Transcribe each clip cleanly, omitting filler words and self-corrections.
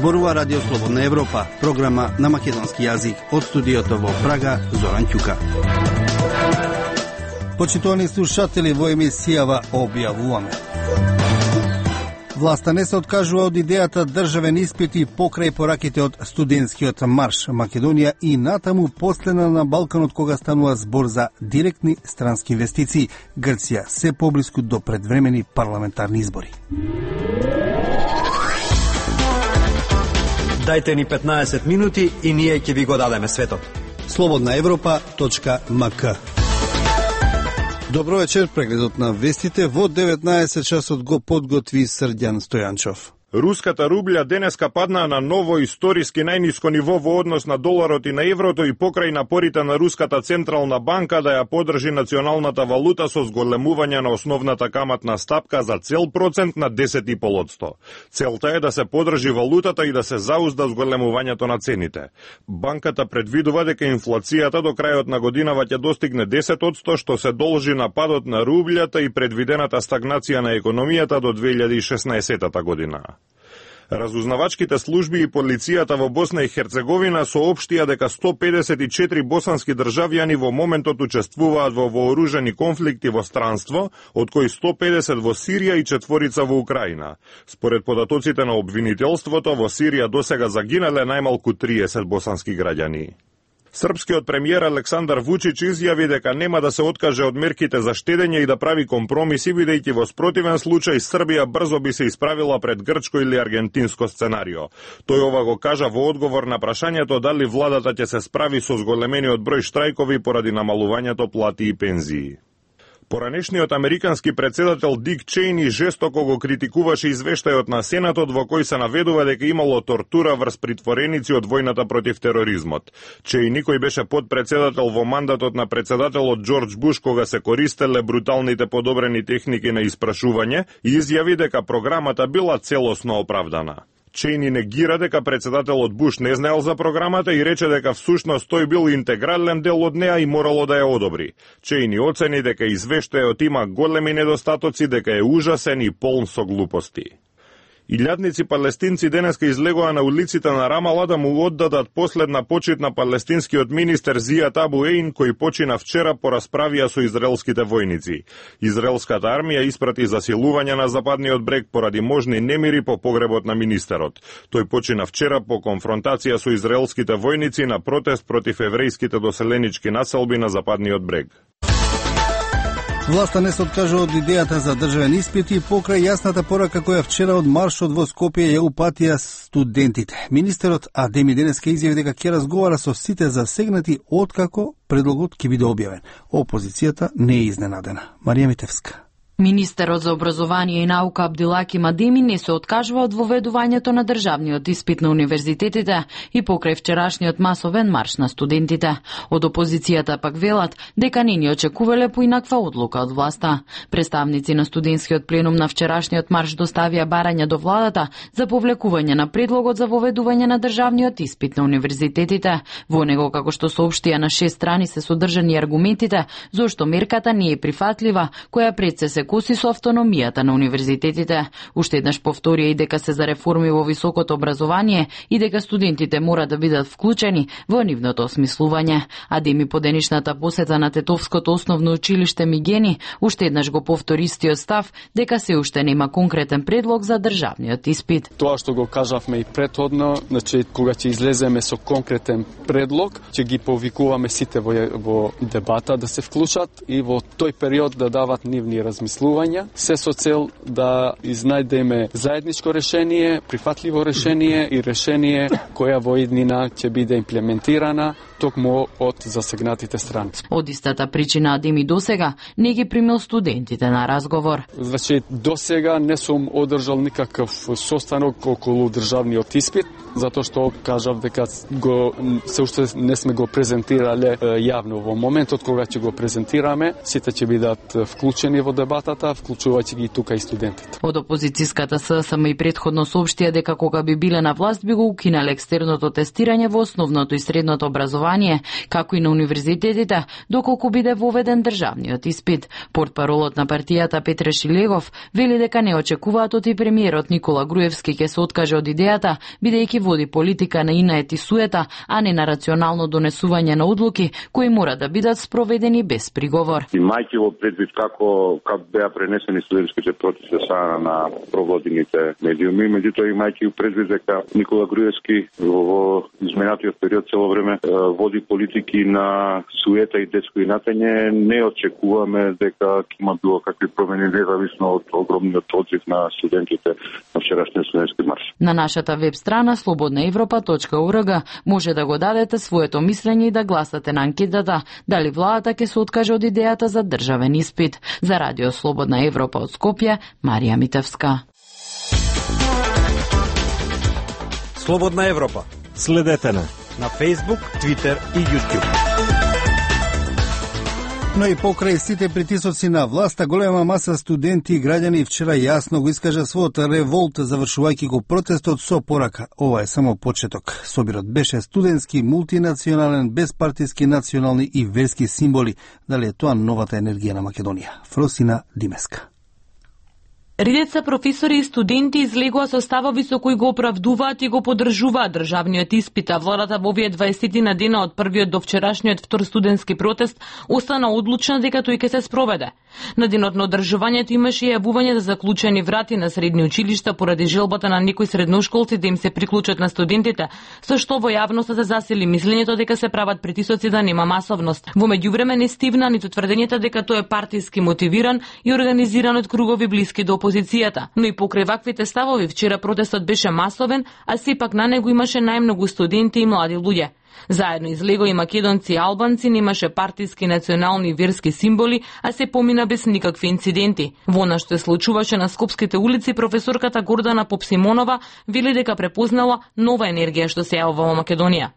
Зборува Радио Слободна Европа, програма на македонски јазик од студиото во Прага, Зоран Ќука. Почитувани слушатели, во емисијава објавуваме. Власта не се откажува од идејата државен испити покрај пораките од студентскиот марш. Македонија и натаму последна на Балканот кога станува збор за директни странски инвестиции. Грција се поблиску до предвремени парламентарни избори. Дајте ни 15 минути и ние ќе ви го дадеме светот. slobodnaevropa.mk. Добро вечер, прегледот на вестите во 19 часот го подготви Срдјан Стојанчов. Руската рублја денеска падна на ново историски најниско ниво во однос на доларот и на еврото и покрај напорите на Руската централна банка да ја подржи националната валута со зголемување на основната каматна стапка за цел процент на 10,5%. Целта е да се подржи валутата и да се заузда зголемувањето на цените. Банката предвидува дека инфлацијата до крајот на годинава ќе достигне 10%, што се должи на падот на рублјата и предвидената стагнација на економијата до 2016 година. Разузнавачките служби и полицијата во Босна и Херцеговина соопштија дека 154 босански државјани во моментот учествуваат во вооружени конфликти во странство, од кои 150 во Сирија и 4 во Украина. Според податоците на обвинителството, во Сирија досега загинале најмалку 30 босански граѓани. Српскиот премиер Александар Вучич изјави дека нема да се откаже од мерките за штедење и да прави компромиси, бидејќи во спротивен случај Србија брзо би се исправила пред грчко или аргентинско сценарио. Тој ова го кажа во одговор на прашањето дали владата ќе се справи со зголемениот број штрајкови поради намалувањето плати и пензии. Поранешниот американски председател Дик Чејни жестоко го критикуваше извештајот на Сенатот во кој се наведува дека имало тортура врз притвореници од војната против тероризмот. Чејни, кој беше подпредседател во мандатот на председателот Џорџ Буш кога се користеле бруталните подобрени техники на испрашување, изјави дека програмата била целосно оправдана. Чејни негира дека председателот Буш не знаел за програмата и рече дека всушност тој бил интегрален дел од неа и морало да ја одобри. Чејни оцени дека извештајот има големи недостатоци, дека е ужасен и полн со глупости. Илјадници палестинци денеска излегоа на улиците на Рамала да му оддадат последна почит на палестинскиот министер Зијат Абу Ејн, кој почина вчера по расправија со израелските војници. Израелската армија испрати засилување на западниот брег поради можни немири по погребот на министерот. Тој почина вчера по конфронтација со израелските војници на протест против еврејските доселенички населби на западниот брег. Власта не се откажува од идејата за државен испит и покрај јасната порака која вчера од маршот во Скопје ја упатија студентите. Министерот Адеми денеска изјави дека ќе разговара со сите засегнати откако предлогот ќе биде објавен. Опозицијата не е изненадена. Марија Митевска. Министерот за образование и наука Абдилаким Адеми не се откажува од воведувањето на државниот испит на универзитетите и покрај вчерашниот масовен марш на студентите. Од опозицијата пак велат дека не ни очекувале поинаква одлука од власта. Представници на студентскиот пленум на вчерашниот марш доставија барања до владата за повлекување на предлогот за воведување на државниот испит на универзитетите. Во него, како што соопштија, на 6 страни се содржани аргументите зошто мерката не е прифатлива, која пред се коси со автономијата на универзитетите. Уште еднаш повторија и дека се за реформи во високото образование и дека студентите мора да бидат вклучени во нивното осмислување. Адеми по денешната посета на Тетовското основно училиште Мигени уште еднаш го повтори истиот став дека се уште нема конкретен предлог за државниот испит. Тоа што го кажавме и претходно, значи кога ќе излеземе со конкретен предлог, ќе ги повикуваме сите во дебата да се вклучат и во тој период да дават нивни размислувања, се со цел да изнајдеме заедничко решение, прифатливо решение и решение која во иднина ќе биде имплементирана токму од засегнатите страни. Од истата причина Адеми досега не ги примил студентите на разговор. Значи досега не сум одржал никаков состанок околу државниот испит, затоа што кажав дека се уште не сме го презентирале јавно. Во моментот кога ќе го презентираме, сите ќе бидат вклучени во дебата дебатата, вклучувајќи ги тука и студентите. Од опозицијската ССМ и претходно соопштија дека кога би биле на власт би го укинале екстерното тестирање во основното и средното образование, како и на универзитетите, доколку биде воведен државниот испит. Портпаролот на партијата Петре Шилегов вели дека не очекуваат од и премиерот Никола Груевски ќе се откаже од идејата, бидејќи води политика на инает и суета, а не на рационално донесување на одлуки кои мора да бидат спроведени без приговор. Имајќи во предвид како беа пренесени студентските протести на проводените медиуми, меѓутоа имајќи предвид дека Никола Груевски во изминатиот период цело време води политики на суета и детско инатење, не очекуваме дека ќе има било какви промени независно од огромниот одрив на студентите на вчерашниот студентски марш. На нашата веб страна slobodnaevropa.org може да го дадете своето мислење и да гласате на анкетата дали владата ќе се откаже од идејата за државен испит. За Радио Слободна Европа од Скопје, Марија Митевска. Слободна Европа. Следете на Facebook, Twitter и YouTube. Но и покрај сите притисоци на власта, голема маса студенти и граѓани вчера јасно го искажа својот револт, завршувајќи го протестот со порака. Ова е само почеток. Собирот беше студентски, мултинационален, безпартиски, национални и верски символи. Дали е тоа новата енергија на Македонија? Фросина Димеска. Редица професори и студенти излегоа со ставови со кои го оправдуваат и го поддржуваат државниот испит, а владата во овие 20 на дена од првиот до вчерашниот втор студентски протест остана одлучна дека тој ќе се спроведе. На денот на одржувањето имаше и јавување за заклучени врати на средни училишта поради желбата на некои средношколци да им се приклучат на студентите, со што во јавноста се засили мислењето дека се прават притисоци да нема масовност. Во меѓувреме не стивна ниту тврдењето дека тој е партиски мотивиран и организиран од кругови блиски до опозицијата. Но и покрај ваквите ставови вчера протестот беше масовен, а сепак на него имаше најмногу студенти и млади луѓе. Заедно излего и македонци и албанци, немаше партиски, национални и верски символи, а се помина без никакви инциденти. Во она што се случуваше на скопските улици, професорката Гордана Попсимонова вели дека препознала нова енергија што се јавува во Македонија.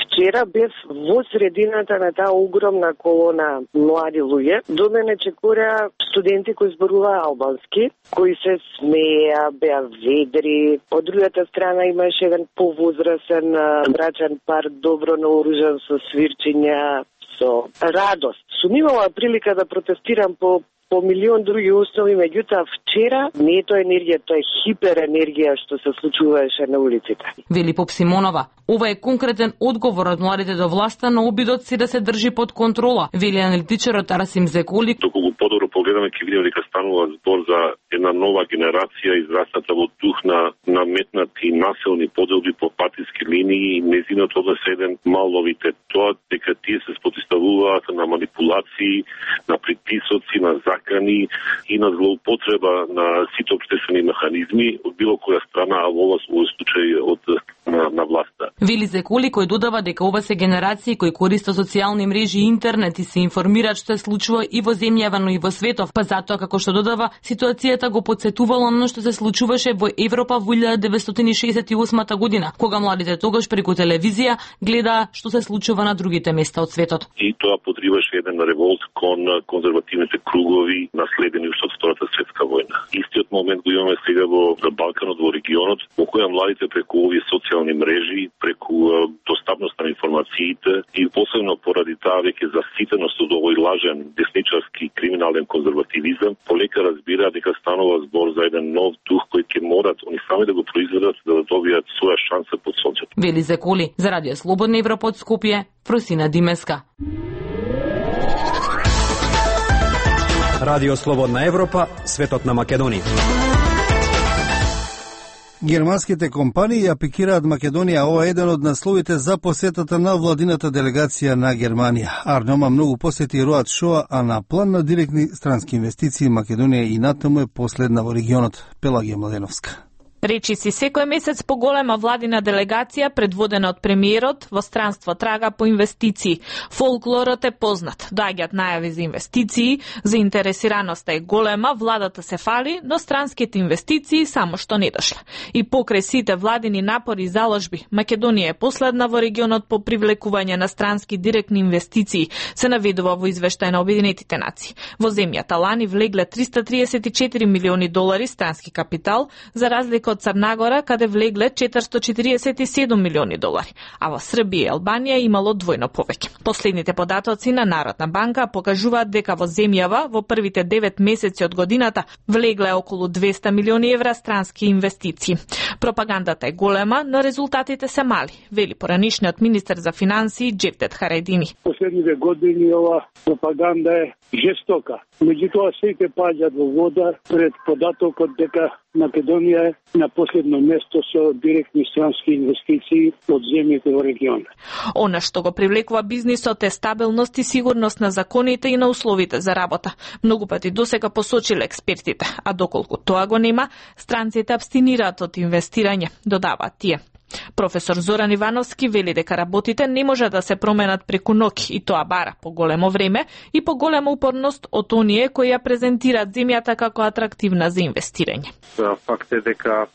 Вчера бев во средината на таа огромна колона млади луѓе. До мене чекора студенти кои зборуваа албански, кои се смеја, беа ведри. Од другата страна имаше еден повозрасен брачен пар, добро наоружен со свирчиња, со радост. Сум имала прилика да протестирам по милион други основи, меѓутоа вчера не е тоа енергија, тоа е хиперенергија што се случуваше на улиците. Вели Попсимонова, ова е конкретен одговор од младите до власта на обидот си да се држи под контрола, вели аналитичарот Расим Зеколи. Доколку подобро погледаме, ќе видиме дека станува збор за една нова генерација израсната во дух на наметнати населни поделби по партиски линии и незиното однес е еден мал новитет. Тоа дека тие се спротивуваат на манипулации, на притисоци, на закани и на злоупотреба на сите општествени механизми од било која страна, а во овој случај од на власта. Вели Зеколи, кој додава дека ова се генерации кои користат социјални мрежи и интернет и се информираат што се случува и во земјава, но и во светов, па затоа како што додава, ситуацијата го потсетувало оно што се случуваше во Европа во 1968 година, кога младите тогаш преку телевизија гледаа што се случува на другите места од светот. И тоа потребаше еден револт кон конзервативните кругови наследени уште од Втората светска војна. Истиот момент го имаме сега во Балканот, во регионот, во која младите преку овие социјални мрежи, преку достапност на информациите и посебно поради таа веќе заситеност од овој лажен десничарски криминален конзервативизам, полека разбираат дека станува збор за еден нов дух кој ќе морат они сами да го произведат за да добијат своја шанса под сонцето. Вели Зеколи, за Радио Слободна Европа од Скопје, Фросина Димеска. Радио Слободна Европа, светот на Македонија. Германските компании ја пикираат Македонија. Ова е еден од насловите за посетата на владината делегација на Германија. Арнома многу посети Роад Шоа, а на план на директни странски инвестиции Македонија и натаму е последна во регионот. Пелагија Младеновска. Речиси секој месец поголема владина делегација предводена од премиерот во странство трага по инвестиции. Фолклорот е познат. Доаѓаат најави за инвестиции, заинтересираноста е голема, владата се фали, но странските инвестиции само што не дошла. И покрај сите владини напори и заложби, Македонија е последна во регионот по привлекување на странски директни инвестиции, се наведува во извештај на Обединетите нации. Во земјата лани влегле 334 милиони долари странски капитал, за разлика од Црнагора, каде влегле 447 милиони долари, а во Србија и Албанија имало двојно повеќе. Последните податоци на Народна банка покажуваат дека во земјава во првите 9 месеци од годината влегле околу 200 милиони евра странски инвестиции. Пропагандата е голема, но резултатите се мали, вели поранишниот министер за финансии Джевдет Харайдини. Последните години ова пропаганда е жестока. Меѓутоа сите паѓаат во вода пред податокот дека Македонија е на последно место со директни странски инвестиции од земјите во регионот. Она што го привлекува бизнисот е стабилност и сигурност на законите и на условите за работа. Многу пати досега посочиле експертите, а доколку тоа го нема, странците абстинираат од инвестирање, додаваат тие. Професор Зоран Ивановски вели дека работите не може да се променат преку ноќ и тоа бара поголемо време и поголема упорност од оние кои ја презентираат земјата како атрактивна за инвестирање. Факт е дека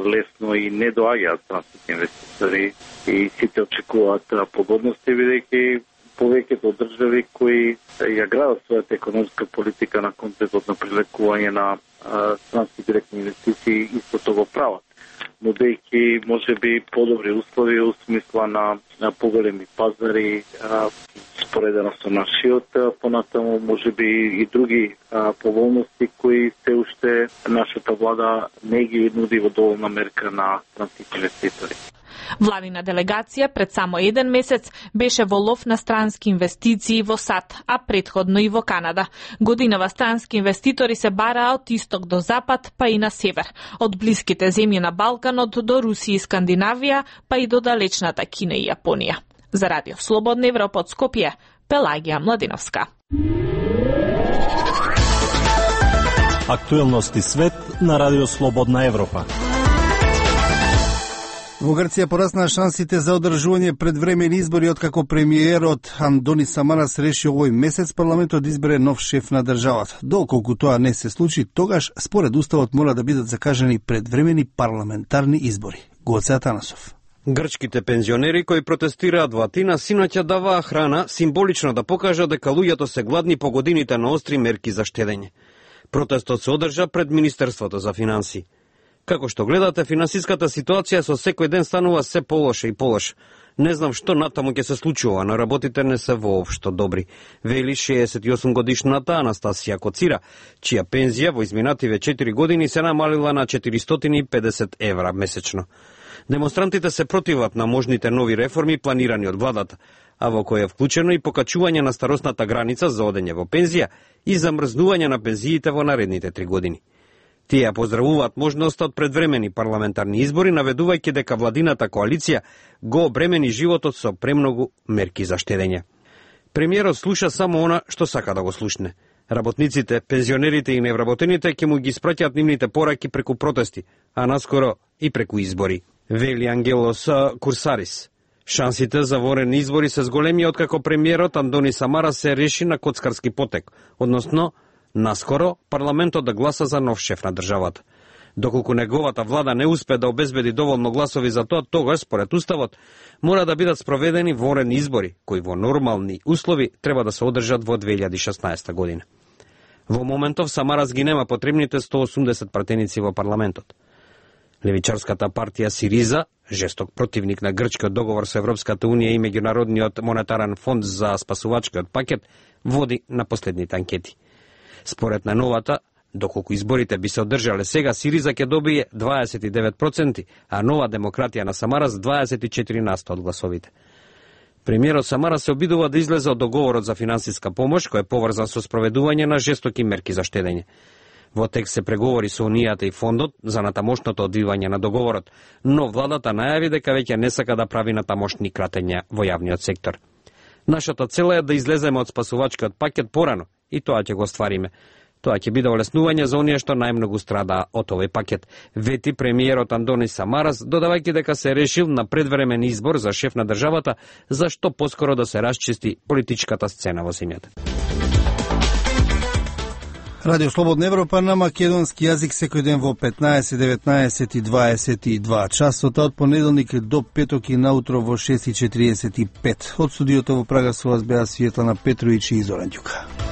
лесно и не доаѓаат странските инвеститори и сите очекуваат погодности, бидејќи повеќето држави кои ја градат својата економска политика на контекстот на привлекување на странски директни инвестиции, истото го прават. Нудејќи можеби подобри услови у смисла на поголеми пазари, споредено со нашиот, понатаму можеби и други поволности кои се уште нашата влада не ги нуди во доволна мерка на странските инвеститори. Владина делегација пред само еден месец беше во лов на странски инвестиции во САД, а претходно и во Канада. Годинава странски инвеститори се бараа од исток до запад, па и на север. Од блиските земји на Балканот до Русија и Скандинавија, па и до далечната Кина и Јапонија. За Радио Слободна Европа од Скопје, Пелагија Младиновска. Актуелности свет на Радио Слободна Европа. Во Грција пораснаа шансите за одржување предвремени избори откако премиерот Андони Самарас реши овој месец парламентот да избере нов шеф на државата. Доколку тоа не се случи, тогаш според уставот мора да бидат закажани предвремени парламентарни избори. Гоце Атанасов. Грчките пензионери кои протестираат во Атина синоќа даваа храна символично да покажат дека луѓето се гладни по годините на остри мерки за штедење. Протестот се одржа пред Министерството за финансии. Како што гледате, финансиската ситуација со секој ден станува се полоша и полоша. Не знам што натаму ќе се случува, но работите не се воопшто добри, вели 68 годишната Анастасија Коцира, чија пензија во изминативе 4 години се намалила на 450 евра месечно. Демонстрантите се противат на можните нови реформи планирани од владата, а во кој е вклучено и покачување на старосната граница за одење во пензија и замрзнување на пензиите во наредните 3 години. Тие поздравуваат можноста од предвремени парламентарни избори, наведувајќи дека владината коалиција го обремени животот со премногу мерки за штедење. Премиерот слуша само она што сака да го слушне. Работниците, пензионерите и невработените ќе му ги испраќаат нивните пораки преку протести, а наскоро и преку избори. Вели Ангелос Курсарис. Шансите за ворени избори се зголеми откако премиерот Андони Самарас се реши на коцкарски потек, односно наскоро парламентот да гласа за нов шеф на државата. Доколку неговата влада не успе да обезбеди доволно гласови за тоа, тогаш, според уставот, мора да бидат спроведени ворени избори, кои во нормални услови треба да се одржат во 2016 година. Во моментов Самарас ги нема потребните 180 пратеници во парламентот. Левичарската партија Сириза, жесток противник на грчкиот договор со Европската унија и Меѓународниот монетарен фонд за спасувачкиот пакет, води на последните анкети. Според на новата, доколку изборите би се одржале сега, Сириза ќе добие 29%, а Нова демократија на Самарас 24% од гласовите. Премиерот Самарас се обидува да излезе од договорот за финансиска помош, кој е поврзан со спроведување на жестоки мерки за штедење. Во текст се преговори со Унијата и фондот за натамошното одвивање на договорот, но владата најави дека веќе не сака да прави натамошни кратења во јавниот сектор. Нашата цел е да излеземе од спасувачкиот пакет порано, и тоа ќе го оствариме. Тоа ќе биде олеснување за оние што најмногу страдаа од овој пакет, вети премиерот Андони Самарас, додавајќи дека се решил на предвремен избор за шеф на државата, за што поскоро да се расчисти политичката сцена во земјата. Радио Слободна Европа на македонски јазик секој ден во 15, 19 и 22 часот, од понеделник до петок и наутро во 6:45. Од студиото во Прага со вас беа Светлана Петровиќ и Зоран Ѓука.